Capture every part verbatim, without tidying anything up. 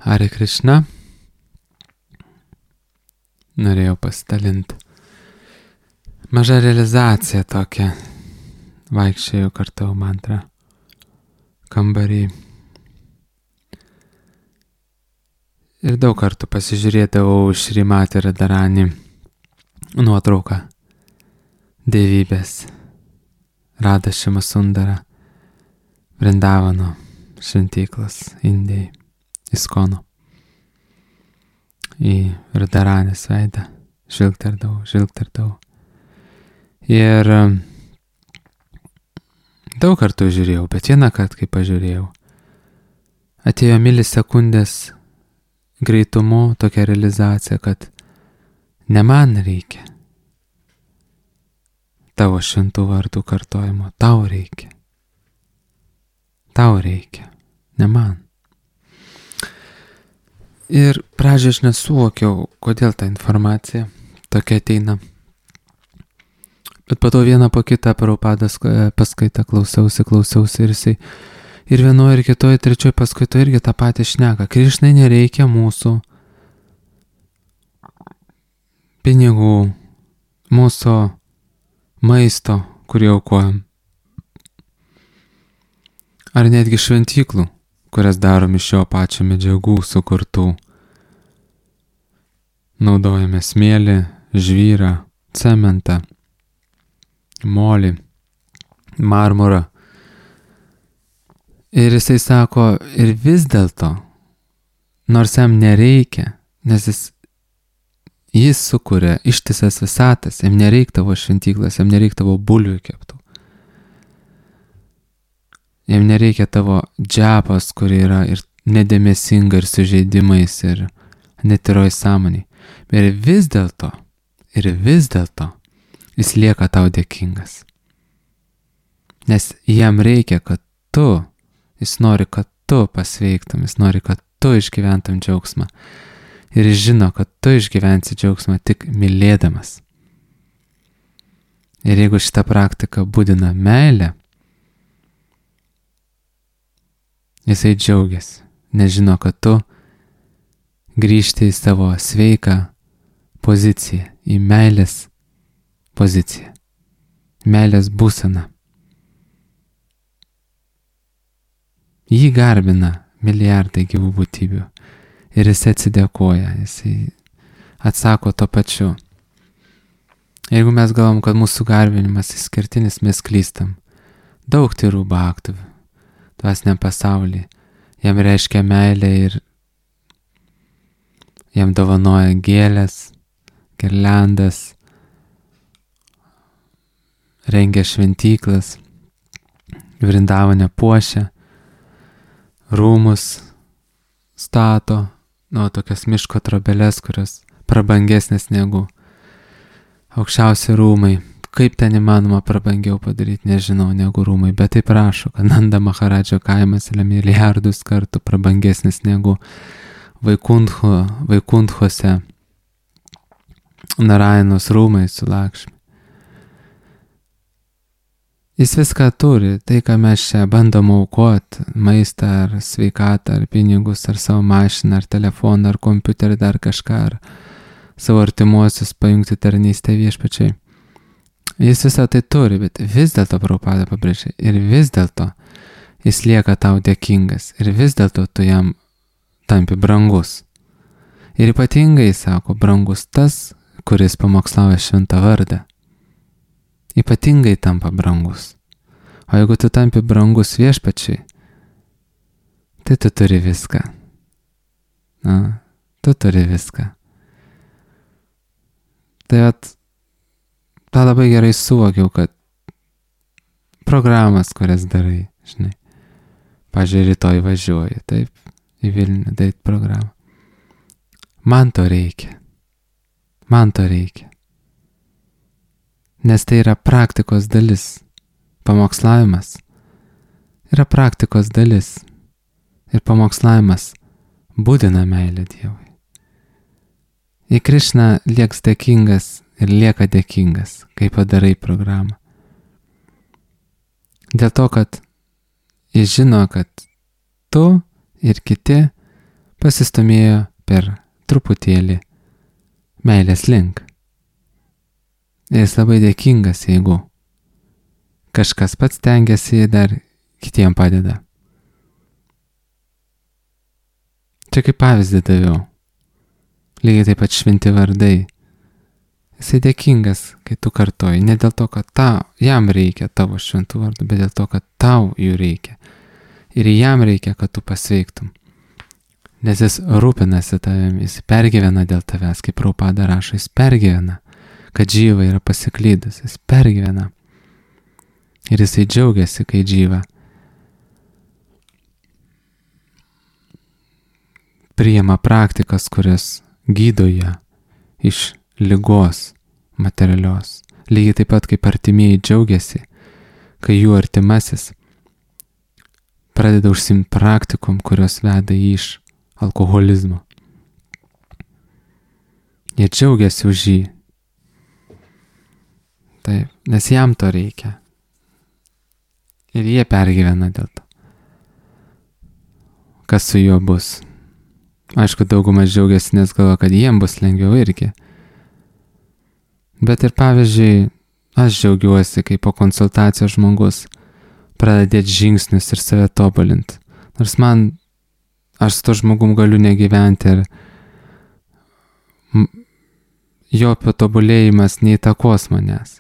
Hare Krishna. Norėjau pasidalinti. Maža realizacija tokia. Vaikščiojau kartu mantrą kambarį. Ir daug kartų pasižiūrėdavau Šrimati Radharani nuotrauką dievybės Radha Shima Sundara Vrindavano šventyklos Indijai Iskono. Į Radharanės veidą žvilgterdavau, žvilgterdavau. Ir daug kartų žiūrėjau, bet vieną kartą, kai pažiūrėjau, atėjo milisekundės greitumu tokia realizacija, kad ne man reikia tavo šventų vardų kartojimo, tau reikia. Tau reikia, ne man. Ir pradžioje aš nesuvokiau, kodėl ta informacija tokia ateina. Bet po to vieną po kitą Prabhupados paskaitą klausiausi, klausiausi ir jisai ir vienoje, ir kitoje, trečioje paskaitoje irgi tą patį šneka. Krišnai nereikia mūsų pinigų, mūsų maisto, kurį aukojam. Ar netgi šventyklų, kurias darom iš šio pačio medžiagų sukurtų. Naudojame smėlį, žvyrą, cementą, molį, marmurą. Ir jisai sako, ir vis dėlto, nors jam nereikia, nes jis, jis sukuria ištisas visatas, jam nereik tavo šventyklas, jam nereik tavo bulvių keptų. Jam nereikia tavo džapas, kuri yra ir nedėmesinga, ir sužeidimais, ir netyroj sąmoniai. Ir vis dėlto, ir vis dėlto, jis lieka tau dėkingas. Nes jam reikia, kad tu, jis nori, kad tu pasveiktum, jis nori, kad tu išgyventum džiaugsmą. Ir jis žino, kad tu išgyvensi džiaugsmą tik mylėdamas. Ir jeigu šita praktika būdina meilę, jisai džiaugiasi, nes žino, kad tu grįžti į savo sveiką poziciją, į meilės poziciją, meilės būseną. Jį garbina milijardai gyvų būtybių ir jis atsidėkoja, jisai atsako to pačiu. Jeigu mes galvom, kad mūsų garbinimas išskirtinis, mes klystam. Daug tyrų bhaktų dvasiniam pasaulyje, jam reiškia meilę ir jam dovanoja gėlės, girliandas, rengia šventyklas, Vrindavane puošia, rūmus stato, nu, tokias miško trobeles, kurios prabangesnės negu aukščiausi rūmai. Kaip ten įmanoma prabangiau padaryti, nežinau, negu rūmai, bet taip rašo, kad Nanda Maharadžo kaimas yra milijardus kartų prabangesnis negu Vaikuntho, Vaikunthose Narainos rūmai su Lakšmi. Jis viską turi, tai ką mes čia bandom aukoti, maistą ar sveikatą, ar pinigus, ar savo mašiną, ar telefoną, ar kompiuterį, dar kažką, ar savo artimuosius pajungti tarnystę viešpačiai. Jis visą tai turi, bet vis dėlto Prabhupada pabrėžia, ir vis dėlto jis lieka tau dėkingas, ir vis dėlto tu jam tampi brangus. Ir ypatingai, sako, brangus tas, kuris pamokslauja šventą vardą. Ypatingai tampa brangus. O jeigu tu tampi brangus viešpačiai, tai tu turi viską. Na, tu turi viską. Tai at, tą labai gerai suvokiau, kad programas, kurias darai, žinai, pažiūrėjau, rytoj važiuoju, taip, į Vilnių, daryti programą. Man to reikia. Man to reikia. Nes tai yra praktikos dalis. Pamokslavimas yra praktikos dalis. Ir pamokslavimas būdina meilę Dievui. Į Krišną lieks dėkingas ir lieka dėkingas, kai padarai programą. Dėl to, kad jis žino, kad tu ir kiti pasistumėjo per truputėlį meilės link. Ir jis labai dėkingas, jeigu kažkas pats tengiasi dar kitiem padeda. Čia kaip pavyzdį daviau. Lygiai taip pat šventi vardai. Jisai dėkingas, kai tu kartoji, ne dėl to, kad tau, jam reikia tavo šventų vardų, bet dėl to, kad tau jų reikia. Ir jam reikia, kad tu pasveiktum. Nes jis rūpinasi tavim, jis pergyvena dėl tavęs, kaip Prabhupada rašo, jis pergyvena, kad Džyva yra pasiklydus, jis pergyvena. Ir jisai džiaugiasi, kai Džyva priima praktikas, kurias gydo ją iš ligos materialios. Lygiai taip pat kaip artimieji džiaugiasi, kai jų artimasis pradeda užsiimti praktikom, kurios veda jį iš alkoholizmo. Jie džiaugiasi už jį. Taip, nes jam to reikia. Ir jie pergyvena dėl to. Kas su juo bus? Aišku, daugumas džiaugiasi, nes galvoja, kad jiem bus lengviau irgi. Bet ir pavyzdžiui, aš džiaugiuosi, kai po konsultacijos žmogus pradeda dėti žingsnius ir save tobulinti. Nors man, aš su to žmogum galiu negyventi ir jo patobulėjimas neįtakos manęs.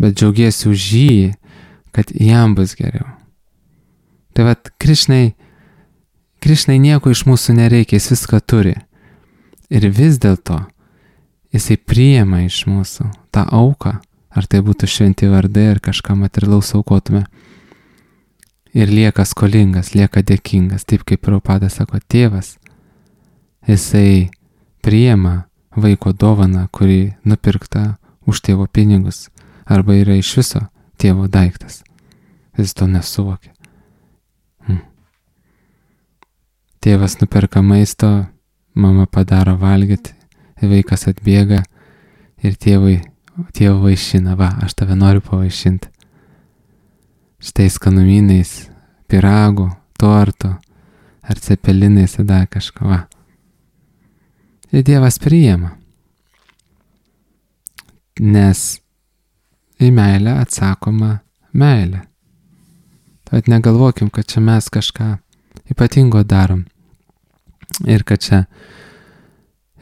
Bet džiaugiesi už jį, kad jam bus geriau. Tai vat, Krišnai, Krišnai nieko iš mūsų nereikia, jis viską turi. Ir vis dėlto jisai priima iš mūsų tą auką, ar tai būtų šventi vardai, ar kažką materialaus aukotume. Ir lieka skolingas, lieka dėkingas, taip kaip Prabhupada sako, tėvas, jisai priima vaiko dovaną, kuri nupirkta už tėvo pinigus, arba yra iš viso tėvo daiktas. Jis to nesuvokia. Hmm. Tėvas nuperka maisto, mama padaro valgyti, vaikas atbėga ir tėvai, tėvo vaišina, va, aš tave noriu pavaišinti. Štai skanumynais, pyragų, torto, ar cepelinais, dar kažko, va. Ir Dievas priima. Nes į meilę atsakoma meilė. Tad negalvokim, kad čia mes kažką ypatingo darom. Ir kad čia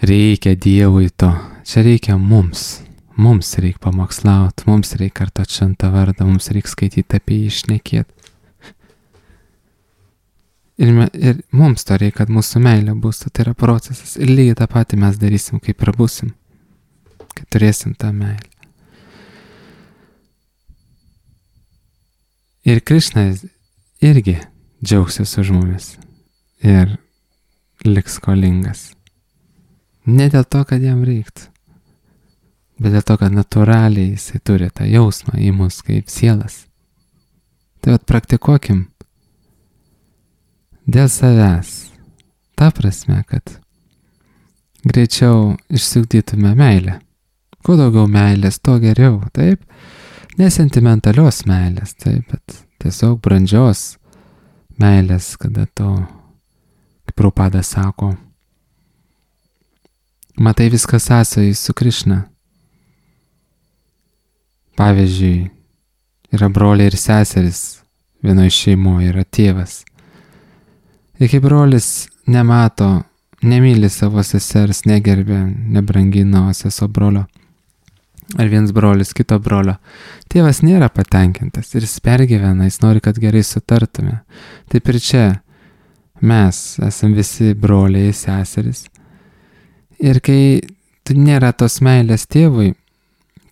reikia Dievui to. Čia reikia mums. Mums reikia pamokslauti, mums reikia kartot šventą vardą, mums reikia skaityti apie jį, šnekėti. Ir, me, ir mums to reikia, kad mūsų meilė bus, tai yra procesas. Ir lygiai tą patį mes darysim, kai prabusim, kai turėsim tą meilę. Ir Krišnas irgi džiaugsis už mumis ir liks skolingas. Ne dėl to, kad jam reiktų, bet dėl to, kad natūraliai jisai turi tą jausmą į mus kaip sielas. Tai vat praktikuokim dėl savęs. Ta prasme, kad greičiau išsiugdytume meilę. Kuo daugiau meilės, to geriau, taip? Nesentimentalios meilės, taip, bet tiesiog brandžios meilės, kada to, kaip Prabhupada sako, matai viskas sąsajai su Krišna. Pavyzdžiui, yra broliai ir seseris, vienoje šeimoje yra tėvas. Ir kai brolis nemato, nemyli savo sesers, negerbė, nebrangina seso brolio, ar viens brolis kito brolio, tėvas nėra patenkintas ir jis pergyvena, jis nori, kad gerai sutartume. Taip ir čia mes esam visi broliai, seseris. Ir kai tu nėra tos meilės tėvui,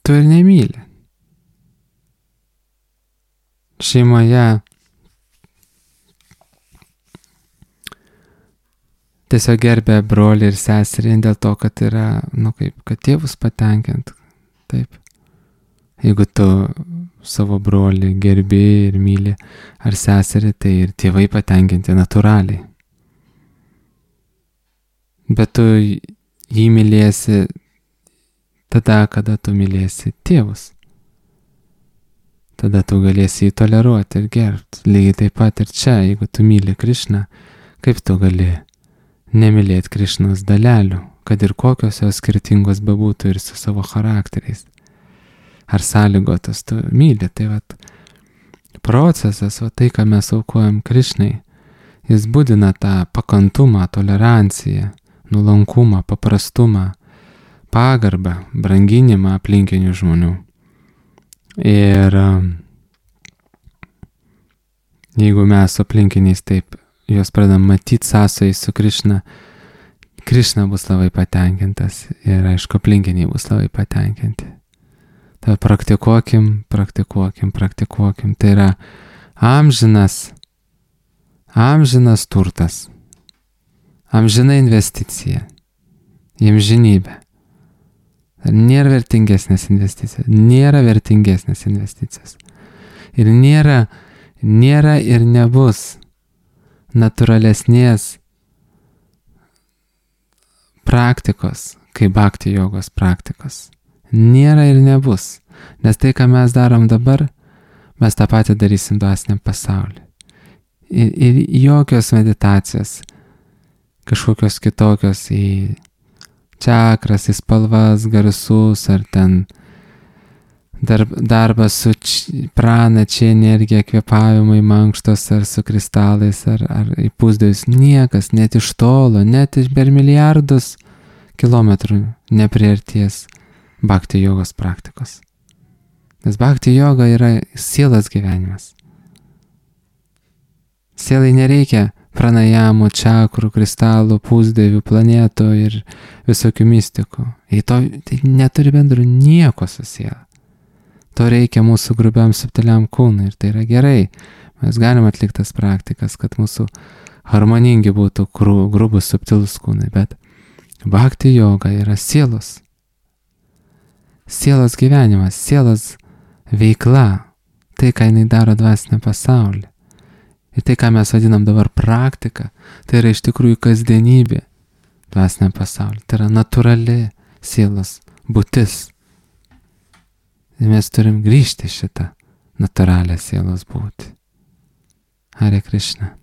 tu ir nemyli. Šeimoje tiesiog gerbė brolį ir seserį dėl to, kad yra, nu kaip, kad tėvus patenkint. Taip. Jeigu tu savo brolį gerbi ir myli ar seserį, tai ir tėvai patenkinti natūraliai. Bet tu jį mylėsi tada, kada tu mylėsi tėvus. Tada tu galėsi jį toleruoti ir gerbti. Lygiai taip pat ir čia, jeigu tu myli Krišną, kaip tu gali nemylėti Krišnos dalelių, kad ir kokios jos skirtingos bebūtų ir su savo charakteriais. Ar sąlygotas, tu myli, tai vat procesas, va tai, ką mes aukojam Krišnai, jis būdina tą pakantumą, toleranciją, nuolankumą, paprastumą, pagarbą, branginimą aplinkinių žmonių. Ir jeigu mes su aplinkiniais taip juos pradam matyti sąsojai su Krišna, Krišna bus labai patenkintas ir aišku aplinkiniai bus labai patenkinti. Tai praktikuokim, praktikuokim, praktikuokim. Tai yra amžinas, amžinas turtas, amžina investicija į amžinybę. Nėra vertingesnės investicijos, nėra vertingesnės investicijos. Ir nėra, nėra ir nebus natūralesnės praktikos, kaip bhakti jogos praktikos. Nėra ir nebus, nes tai, ką mes darom dabar, mes tą patį darysim dvasiniam pasauliu. Ir, ir jokios meditacijos, kažkokios kitokios į čakras, į spalvas, garsus, ar ten darb, darbas su č, prana, čia energija, kvėpavimai, mankštos, ar su kristalais, ar, ar į pusdėjus, niekas, net iš tolo, net iš per milijardus kilometrų nepriarties bhakti jogos praktikos. Nes bhakti joga yra sielos gyvenimas. Sielai nereikia pranajamų, čakrų, kristalų, pusdėvių, planetų ir visokių mistikų. Į to tai neturi bendro nieko su siela. To reikia mūsų grubiam subtiliam kūnui ir tai yra gerai. Mes galim atlikti tas praktikas, kad mūsų harmoningi būtų grubus subtilus kūnai, bet bhakti joga yra sielos. Sielos gyvenimas, sielos veikla, tai, ką jinai daro dvasinę pasaulį. Ir tai, ką mes vadinam dabar praktika, tai yra iš tikrųjų kasdienybė dvasinę pasaulį. Tai yra natūrali sielos būtis. Ir mes turim grįžti šitą natūralią sielos būtį. Hare Krishna.